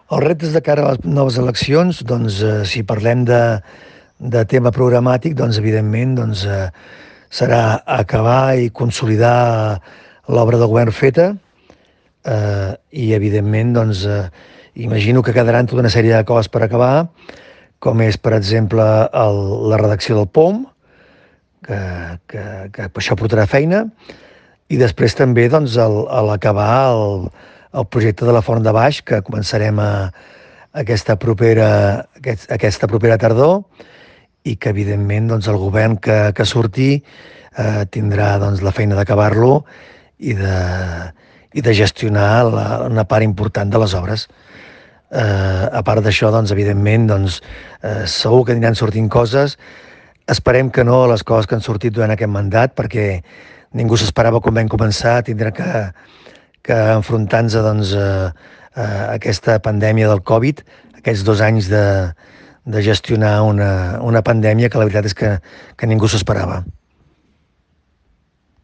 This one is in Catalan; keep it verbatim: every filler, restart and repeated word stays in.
Els reptes de cara a les noves eleccions, doncs, eh, si parlem de, de tema programàtic, doncs, evidentment, doncs, eh, serà acabar i consolidar l'obra de govern feta eh, i, evidentment, doncs, eh, imagino que quedaran tota una sèrie de coses per acabar, com és, per exemple, el, la redacció del P O M, que, que, que això portarà feina, i després també doncs, el, a l'acabar el, el projecte de la Font de Baix, que començarem a, aquesta propera, aquest, aquesta propera tardor, i que, evidentment, doncs, el govern que, que surti eh, tindrà doncs, la feina d'acabar-lo i de, i de gestionar la, una part important de les obres. Eh, a part d'això, doncs, evidentment, doncs, eh, segur que aniran sortint coses. Esperem que no les coses que han sortit durant aquest mandat, perquè ningú s'esperava quan vam començar a tindre que, que enfrontar-nos doncs, a, a aquesta pandèmia del Covid, aquests dos anys de, de gestionar una, una pandèmia que la veritat és que, que ningú s'esperava.